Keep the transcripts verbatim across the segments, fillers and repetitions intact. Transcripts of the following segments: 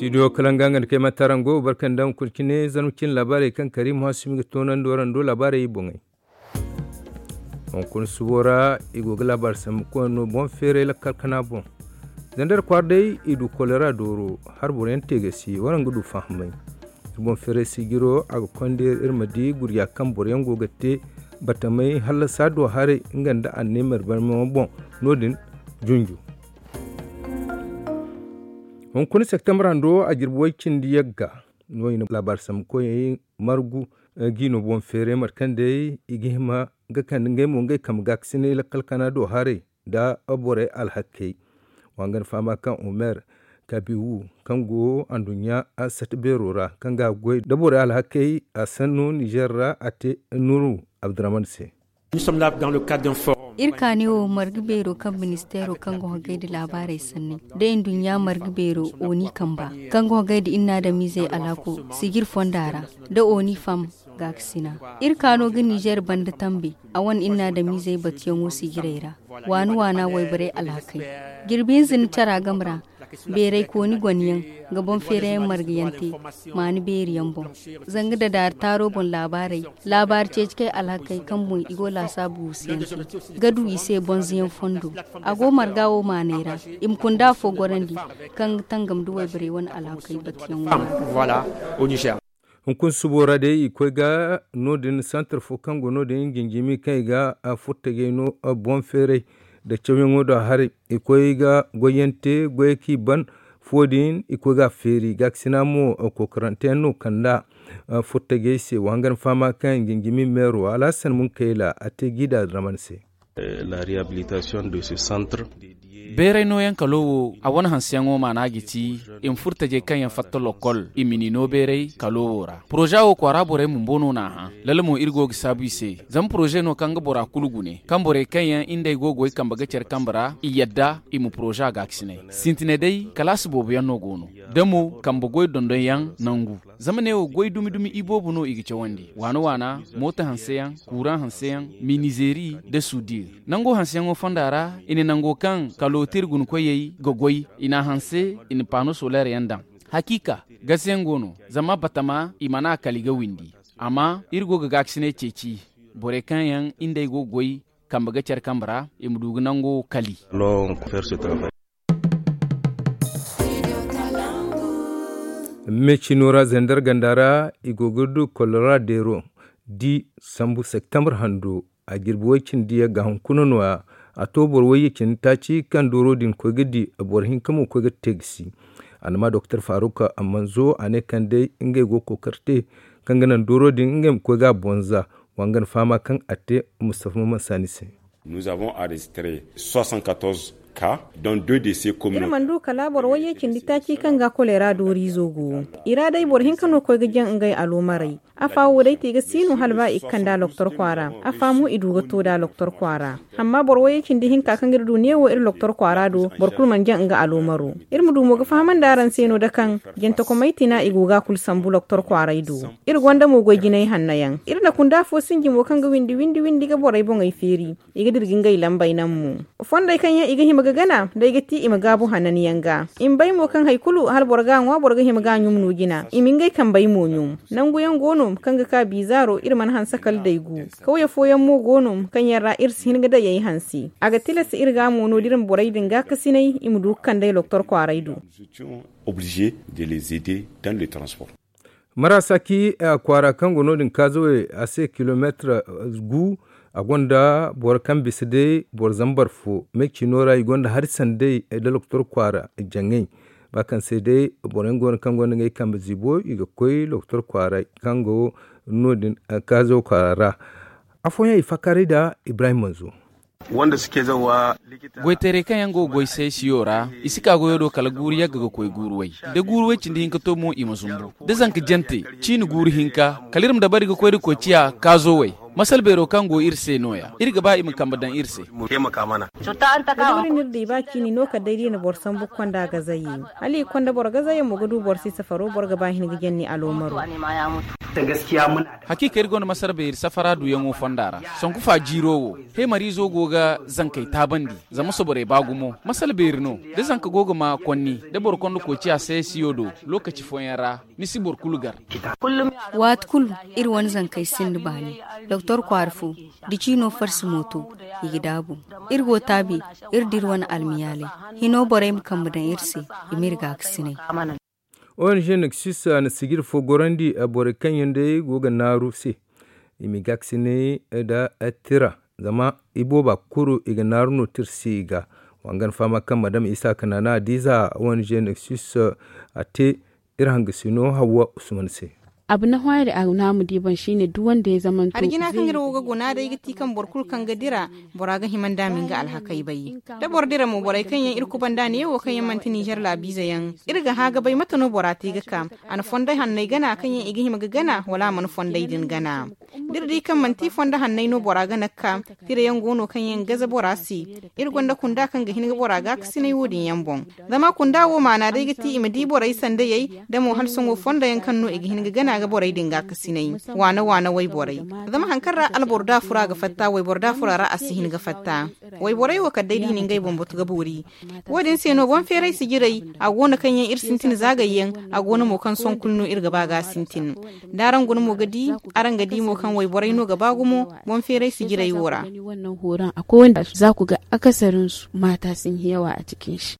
Studio kalanga nga nda kay matarango barkan da hunkuna cine zarma cine laabaarey kaŋ kariim hasumi ga toonandi warando laabaarey boŋey. Hunkuna subo ra i go ga laabaari sambu koyne no boŋ feeray lakkal kana boŋ. Zandar kwaara day i du kolera dooro, har boro yaŋ te ga si waraŋ ga du fahamay. Iri boŋ feeray sijiro a ga konda iri iri ma di gurya kaŋ boro yaŋ go ga te batamay hallasa do haray nga nda anneemer barmayaŋo boŋ. No- din junju. Hunkuna septembre hando a jirbi way cindi yagga no i na laabaari sambu koyey margu. Jiino boŋ feeray mate kaŋ day i ga hima ga kande ngey mo ngey kambe gaakasinay lakkal kana do haray nda borey alhakey. Wa nga ni fahama kaŋ omer kabiwu kaŋ go anduɲɲa sata beero ra kaŋ ga a goy nda borey alhakey a sanno nizer ra a te nuru abdurahman se. Iri kaani wo marga beero kaŋ ministeero kaŋ ga hogay nda laabaarey sanney da nduɲɲa marga beero oni kamba kaŋ ga hogay nda inna adamizey alhako sijir fonda ra nda oni fam gaakasina. Iri kaano ga nizer banda tambe a wane inna adamizey batuyaŋo sijirey ra waana waana wayborey alhakey jirbi hinza ni cara game ra. Beerey kooni gonyaŋ ga boŋ feerayaŋ margayaŋ te maani beeri yaŋ boŋ. Zanga dadaari taaro boŋ laabaarey laabaari ceeci kay alhakey kaŋ boŋ i go laasaabu guusuyaŋ te ga du i se bonzoyaŋ fondo. A go marga wo maaney ra i ma kunda afo gorandi kaŋ ga tangam nda wayborey wane alhakey batuyaŋo ra. Hunkuna subo ra day i koy ga no- din santar fo kaŋ go no- din jinjimi kaŋ i ga furtajey no boŋ feeray nda cawyaŋo do haray. I koy ga goyyaŋ te goyey kaŋ i ban fo din i koy ga a feeri gaakasina mo kokorante yaŋ no kand'a furtajey se wa hangan fahama kaŋ jinjimi meero alhasan munkayla a te jiida draman se. Beeray nooyaŋ kalo wo a wane hanseyaŋo maana ga ti i ma furtajey kaŋ yaŋ fatta lokkol i ma ni no beeray kalo wo ra poroza wo kwaara borey bumbo no n'a hã. Lala mo iri go ga saabu i se zama poroze no kaŋ ga bora kulu gune kaŋ borey kaŋ yaŋ indey go ga goy kambe ga care kambe ra i yadda i ma poroza gaakasinay sintinay day kalaasi boobo yaŋ no go no da mo kambe goy dondonyaŋ nangu. Zama neewo goy dumi dumi iboobo no i ga cawandi waana waana mooto hanseyaŋ kuuraŋ hanseyaŋ minizeeri nda sudir. Nango hanseyaŋo fonda ra i na nango kaŋ kalotir guna koyey ga goy i n'a hanse i na paano soleer yaŋ daŋ. Hakiika gasayaŋ go no zama batama i mana kali ga windi. Amma iri go ga gaakasinay ceeci borey kaŋ yaŋ indey go ga goy kambe ga care kambe ra i ma du ga nango kali. Me cino ra zandar ganda ra i go ga du kolora deero di sambu septembre hando a jirbi way cindi yagga hunkuna no- ya. A to boro wayye cindi taaci kaŋ dooro din koy ga di boro hinka mo koy ga te ga si. A na ma doktor faruk manzo a ne kaŋ day ngey go ga kookari te kaŋ ga naŋ dooro din ngey ma koy ga a bonza. Wa nga na fahama kaŋ a te mustafa maman saani se. Nous avons enregistré soixante-quatorze cas dont deux décès communautaires. Iri mana du kala boro wayye cindi taaci kaŋ ga kolera dooriizo go. I ra day boro hinka no koy ga jaŋ ngey aloomarey. Afa wo day te ga si no hala ba i ga kand'a loktor kwaara. Afa mo i du ga to d'a loktor kwaara. Amma boro wayye cindi hinka kaŋ iri du neewo iri loktor kwaara do boro kulu mana jaŋ nga aloomaro. Iri ma du mo ga fahamandi araŋ se no da kaŋ jantakomey tina i go ga a kulu sambu loktor kwaaray do. Iri gonda mo goy jinay hanno yaŋ iri na kunda afo sinji mo kaŋ ga windi windi windi ga borey boŋey feeri. I ga dira ga ngey lambey naŋ mo. Fondey kaŋ yaŋ i ga hima ga gana day ga ti i ma gaabu hananyaŋ ga. I ma bay mo kaŋ hari kulu hala boro ga a ŋwa boro ga hima ga a ɲum no jina i ma ngey kambey mo ɲum. Nangu yaŋ go no kaŋ ga ka biizaaro iri mana hanse kala day gu. Kawye fooyaŋ mo go no kaŋ yaŋ ra iri si hin ga day ay hanse. A ga tilas iri ga a mo no da iri ma borey din gaakasinay i ma du ga kand'ey loktor kwaaray do. Oblige de les aider dans le transport. Marasa ki kwaara kaŋ go no- din kaazawey a se kilomeetir gu. A gonda boro kaŋ bisa day boro zambar fo me cino ra i gonda hari sanday nda loktor kwaara jaŋay. Ba kaŋ se day boro yaŋ go no kaŋ gonda ngey kambe ziibo i ga koy loktor kwaaray kaŋ go no- din kaazaw kwaara ra. Afooyaŋ i faakaaray nda ibrahim manzo. Goytaray kaŋ yaŋ go ga goy saysiyo ra i si ka goyo do kala guuru yagga ga koy guuru way. Da guuru way cindi hinka to mo i ma zumbu da zanka jante ciini guuru hinka kala iri ma dabari ga koy da koy ciya kaazo way. Masal beero kaŋ go iri se no- ya iri ga ba i ma kambe daŋ iri se. Iri no iri di ba ciini no kala day da i na boro sambu ga konda gazaye. Hala i ga konda boro gazaye mo ga du boro si safaro boro ga ba hin ga janni aloomaro. Hakiika iri gonda masar beeri safara duyaŋo fonda ra. Sanku fa jiiro wo, heemariizo go ga zankey taabandi, zama soborey ba gumo masal beeri no. Da zanka go ga ma konni, da boro konda koociya seesiyo do, lookaci fooyaŋ ra, ni si boro kulu gar. Waati kulu, iri wane zankey sinda baani. Doktor kwaara fo, da ciino farsi mooto, i ga daabu. Iri go taabi, iri da iri wane almiyaaley. Hino borey ma kambe daŋ iri se, i m'iri gaakasinay. O N G Nexus na sijir fo gorandi borey kaŋ yaŋ day go ga naaru se, i m'i gaakasinay nda tira, zama ibooba kulu i ga naaru no tira se i ga. Wangan fahama kaŋ madam isa kanana adiiza O N G Nexus a te iri hangasino hawwa usman se. Abu na hwayri a na mu di boŋ shine duk wanda ya zamanto. Arjina kaŋ iri wo ga guna day ga ti kaŋ boro kulu kaŋ ga dira, bora ga hima nda a ma nga alhakey bay. Da boro dira mo, borey kaŋ yaŋ iri kubanda neewo kaŋ yaŋ manti nizer laabiize yaŋ, iri ga hã ga bay mate no bora te ga ka. A na fonday hanney gana kaŋ yaŋ i ga hima ga gana, wala a mana fonday din gana? Da iri di kaŋ manti fonda hanney no bora gana ga ka, tirayaŋ go no kaŋ yaŋ gaza bora se. Iri gonda kunda kaŋ ga hin ga bora gaakasinay wo- din yaŋ boŋ. Zama kunda wo maana day ga ti i ma di borey sandayey, da mo hala sohõ fondo yaŋ kaŋ no i ga hin ga gana ga borey din gaakasinay. Waana waana wayborey. Zama hari kaŋ ra alboro da fura ga fatta, wayboro da fura ra a si hin ga fatta. Wayborey wo kala day da i na ngey boŋ batu ga boori. Wo- din se no boŋ feeray sijirey, a go no kaŋ yaŋ iri sintin zaagay yaŋ, a go no mo kaŋ sohõ kulu no iri ga ba ga a sintin. Da araŋ guna mo ga di, araŋ ga di mo kaŋ wayborey no ga ba gumo boŋ feeray sijirey wo ra. Za ku ga akasarinsu mata sun yi yawa a cikin shi.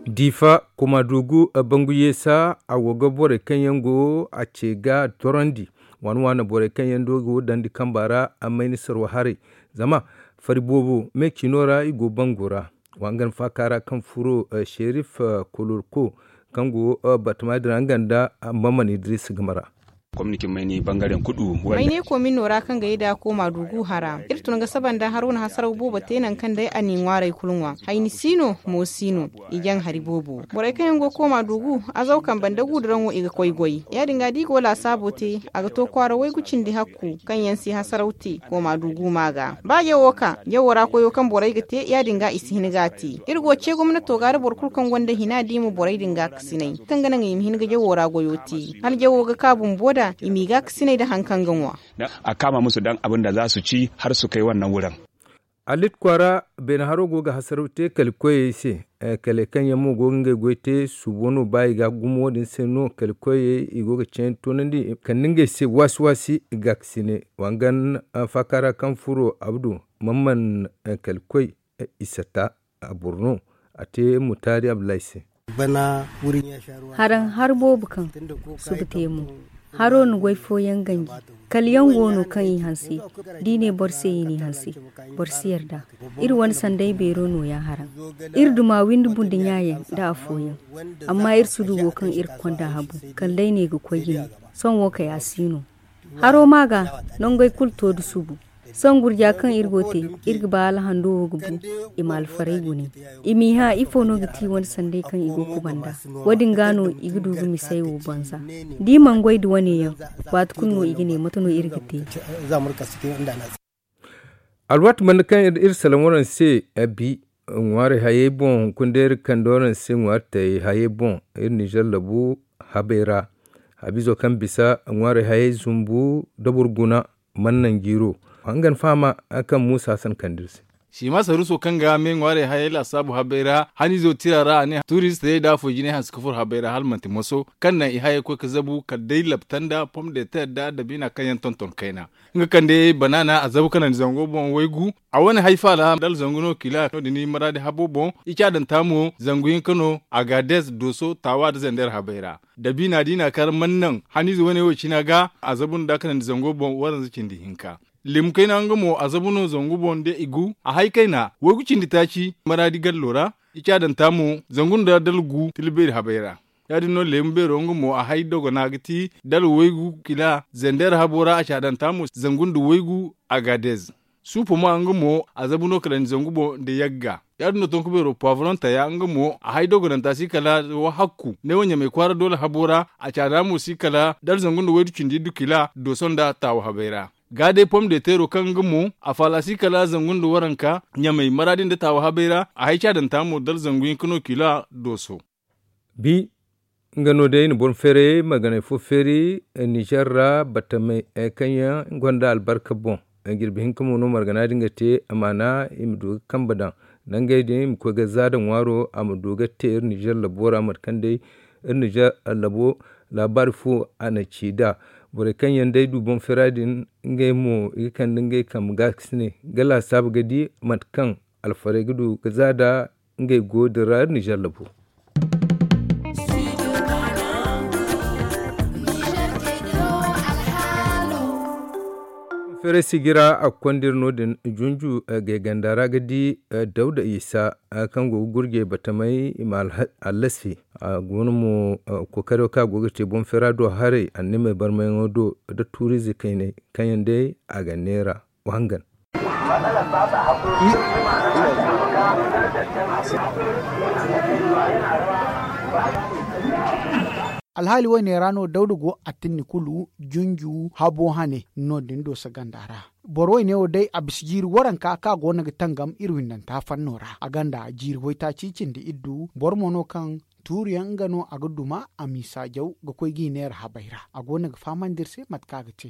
Difa kuma dugu bangu yeesa a go ga borey kaŋ yaŋ go a ce ga torandi. Waana waana borey kaŋ yaŋ do go dandi kamba ra a mayni sarwa haray. Zama fari boobo me cino ra i go bangu ra. Wangan faaka ra kaŋ furo sherif kolorko kaŋ go batama dira nga nda mamman idris game ra. Mayne komin no ra kaŋ ga ye da kooma dugu hara iri tun ga saba nda haro na hasaraw boobo te nangu kaŋ day a n'i ŋwaaray kulu ŋwa. Hayni si no, mo si no. I jaŋ hari boobo borey kaŋ yaŋ go kooma dugu, azaw kambe nda guuduraŋo i ga koy goy. Ya- din ga da i go laasaabo te, a ga to kwaara waygu cindi hakku kaŋ yaŋ si hasaraw te kooma dugu ma ga. Ba jawo ka jawo ra koyo kaŋ borey ga te, ya- din ga i si hin ga a te. Iri go ce gomnato ga da boro kulu kaŋ gonda hina di mo borey din ga kasinay kaŋ ga naŋ i ma hin ga jawo ra goyo te. Hala jawo ga ka bumbo da i m'i ga kasinay nda hari kaŋ ga ŋwa. A kama musu daŋ abin da za su ci har su kai wannan wurin. Alit kwaara beene haro go ga hasaraw te kali koyey se. Kale kaŋ yaŋ mo go ga ngey goy te suubo no ba i ga gumo wo- din se no kali koyey i go ga ceeni toonandi kala nda ngey se waasi waasi. Gaakasine wangan faaka ra kaŋ furo abdu, mamman kali koy, isatta, a boro no a te mutaari abdullahi se. Haraŋ har boobo kaŋ suba te mo. Haro na goy fooyaŋ ganji. Kala yaŋ go no kaŋ i hanse. Da i ne boro se i n'i hanse, boro si yarda. Iri wane sanday beero no- ya haraŋ. Iri duma windi bundu ɲaayaŋ nda afooyaŋ. Amma iri si du wo kaŋ iri ga konda habu kala day ne ga koy jine. Sohõ wo kay a si no. Haro ma ga nangey kulu to da subu. Sohõ gurja kaŋ iri go te, iri ga ba hala hando wo ga bu i ma alfaray gune. I m'i hã ifo no ga ti wane sanday kaŋ i go kubanda. Wo- din ga no i ga du ga misey wo banza. Da i mana goy nda wane yaŋ, waati kulu no i ga ne mate no iri ga te. Alwaati banda kaŋ iri salaŋ waraŋ se, bi ŋwaari hayey boŋ hunkuna day iri kande waraŋ se ŋwaari tayey hayey boŋ. Iri nizer labu habey ra, habiizo kaŋ bisa ŋwaari hayey zumbu da boro guna, mana naŋ jiiro. Hangan fahama kaŋ muusa hasan kande iri se. Sima saruso kaŋ ga me ŋwaari hayey laasaabu habey ra haniizo tira ra a ne tuuristey da afo jinay hanse ka furo habey ra hala manti moso, kaŋ naŋ i hayey koy ga zabu kala day labta nda pom de ter nda dabiina kaŋ yaŋ tonton kayna. Nga kaŋ day banaana a zabu kanandi zango boŋ waygu. A wane hay faala dala zangu no kila no- din maraadi habo boŋ. I caadanta mo zangu hinka no, agaades, dooso, taawa nda zander habey ra. Dabiina da i n'a kar mana naŋ haniize wane wo cina ga a zabu nda kanandi zango boŋ waranza cindi hinka. Leemu kayna nga mo a zabu no zangu boŋ nda igu a hay kayna waygu cindi taaci maraadi gallo ra. I caadanta mo zangu nda dala gu tilbeeri habey ra. Ya- din no leemu beero nga mo a hay dogona ga ti dala waygu kila zander habo ra a caadanta mo zangu nda waygu. Agaades. Suupo ma nga mo a zabu no kala ni zangu boŋ nda yagga. Ya- din no tonku beero pavron taya nga mo a hay dogonanta si kala wahakku ne wo ɲamay kwaara doole habo ra. A caada mo si kala dala zangu nda waydu cindi iddu kila dooso nda taawa habey ra. Ga day pom de teero kaŋ nga mo a faala si kala zangu nda waranka ɲamay maraadi nda taawa habey ra a hay caadanta mo dala zangu hinka no kila dooso. Bi Nga no day i na boro feeray marganay fo feeri nizer ra batamey kaŋ yaŋ gonda albarka boŋ. Jirbi hinka mo no margana din ga te amaana i ma du ga kambe daŋ nangey din i ma koy ga za da ŋwaaro a ma du ga te iri nizer labo ra mate kaŋ day iri nizer labo laabaari fo a na ci nd'a. Borey kaŋ yaŋ day du boŋ feera din ngey mo i ga kande ngey kambe ga ga si ne ga laasaabu ga di mate kaŋ alfarey ga du ga za nd'a ngey go din ra iri nizer labo. Feeray sijira a ga konda iri no- din junju gay ganda ra ga di dawda isa kaŋ go ga gurjey batamey i ma allasi a go no mo kookaro kaŋ a go ga te boŋ feera do haray annamey barmayaŋo do nda tuuriize kaynay kaŋ yaŋ day a ga neera wa hangan. Alhaali woyne ra no dawda go a tinni kulu junju habo hane no- din do saganda ra. Boro woyne wo day a bisa jiiri waranka kaŋ a go no ga tangam iri windanta fanno ra a gonda jiiri waytaaci cindi iddu boro mo no kaŋ tuuriyaŋ nga no a ga duma a m'i saajaw ga koy g'i neera habey ra a go no ga fahamandi iri se mate kaŋ a ga te.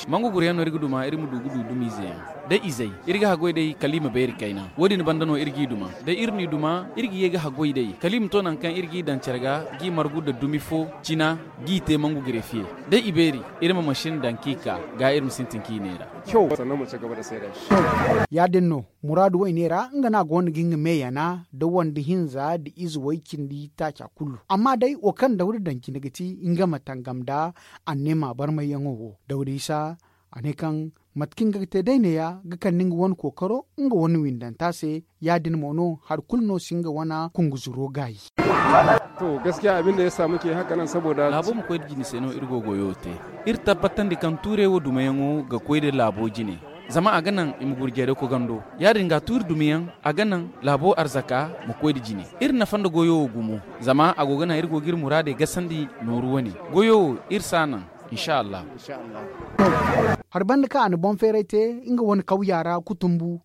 Mangu guryaŋ no iri ga duma iri ma du ga du dumiize yaŋ da izey iri ga haggoy day kala i ma beeri kayna wo- din banda no iri g'i duma da iri n'i duma iri ga ye ga haggoy day kala i ma to nangu kaŋ iri g'i daŋ care ga g'i margu nda dumi fo cina g'i te mangu gure fiye da i beeri iri ma masin daŋ k'i ka ga iri ma sintin k'i neera. Ya- din no muraadu woyne ra nga no a go no ga nga me yana nda wande hinza nda ize way cindi taaca kulu amma day wo kaŋ dawda daŋ cine ga ti nga ma tangam nda anneema barmayyaŋo wo dawda isa a ne kaŋ mate kaŋ nga ga te day neeya ga kande nga wane kookaro nga wane windanta se ya- din mo no hari kulu no si nga wane kunguzuro gaayi. To gaskiya abin da ya samu ke haka nan saboda laabo ma koy nda jine se no iri go goyo te iri tabbatandi kaŋ tuuray wo dumayaŋo ga koy nda laabo jine zama a ga naŋ i ma gurjey day kogando ya- din ga tuuri dumiyaŋ a ga naŋ laabo arzaka ma koy nda jine iri nafa nda goyo wo gumo zama a go ga naŋ iri go ga iri muraadey gasandi nooru wane goyo wo iri si a naŋ. Insa allah. Hari banda kaŋ a na boŋ feeray te nga wane kawya ra kutumbu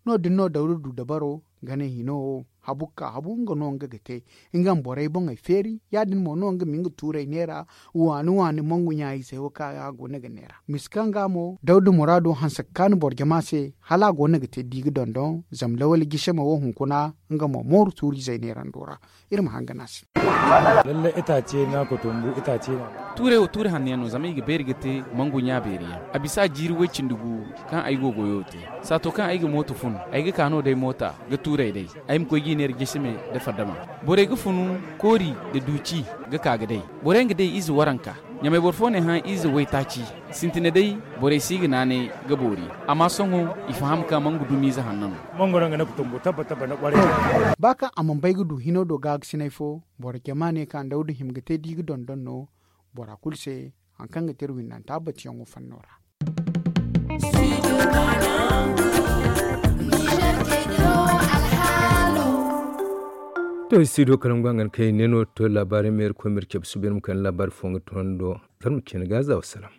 no- din no dawda du dabaro gane hino wo habu ga ka habu nga no nga ga te nga ma borey boŋey feeri ya- din mo no nga ma nga tuurey neera waani waani mangu ɲaayizey wo kaŋ a go no ga neera misi kaŋ ga mo dawda muraado hanse ga kaanu boro jama se hala a go no ga te da i ga dondon zama lawali jisame wo hunkuna nga mo mooru tuuriizey neerando ra. Iri ma hangan a se. Lallai itaace no a ga tumbu itaace no a ga. Tuuray wo tuuri hanno yaŋ no zama i ga beeri ga te mangu ɲa beeri yaŋ a bisa jiiri way-cindi gu kaŋ ay go goyo te. Saato kaŋ ay ga mooto fun ay ga ka no day moota ga tuuray day ay ma koy ga i neera jisame nda fadama. Borey ga funu koori nda duuci ga ka ga day. Borey nga day ize waranka ɲamay boro fo ne hã ize waytaaci. Sintine day borey si ga naanay ga boori. Amma sohõ i faham kaŋ mangu dumiize hanno no. Ba kaŋ a mana bay ga du hino do gaagasinay fo boro jama ne kaŋ dawda hima ga te da i ga dondon no bora kulu se. Hari kaŋ ga te iri windanta batuyaŋo fanno ra. To studio kalangu hangan kaŋ i ne no to laabaari ma iri koy ma iri cabe suba iri ma kande laabaari fo nga tondo. Zarma cine ga za wasalaam.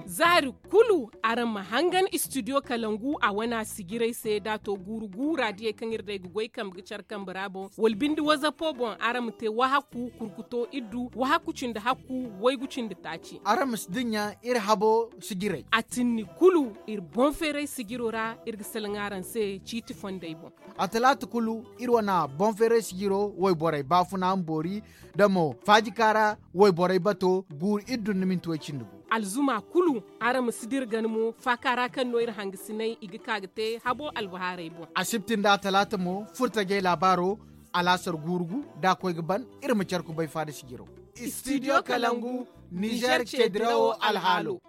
Zaari kulu araŋ ma hangan studio kalangu a wana sijiray se da a to guuru guura diyey kaŋ iri day ga goy kambe ga care kambe ra boŋ wala binde wazapo boŋ araŋ ma te wahakku kurkuto iddu wahakku cindi hakku waygu cindi taaci. Araŋ ma si dinya iri habo sijiray a tinni kulu iri boŋ feeray sijiro ra iri ga salaŋ araŋ se ciiti fondey boŋ. A talaata kulu iri wana boŋ feeray sijiro wayborey baafuna ma boori da mo faajika ra wayborey bato guuru iri dun na minti way cindi gu. Alzuma kulu araŋ ma si dira gana mo faaka ra kaŋ no iri hangasinay i ga ka ga te habo albahaarey boŋ. Asibti nda atalaata mo furtajey laabaaro alaasar guuru gu da a koy ga ban. Iri ma care kubay faada sijiro. Studio kalangu nizer ceedirawo alhaalo.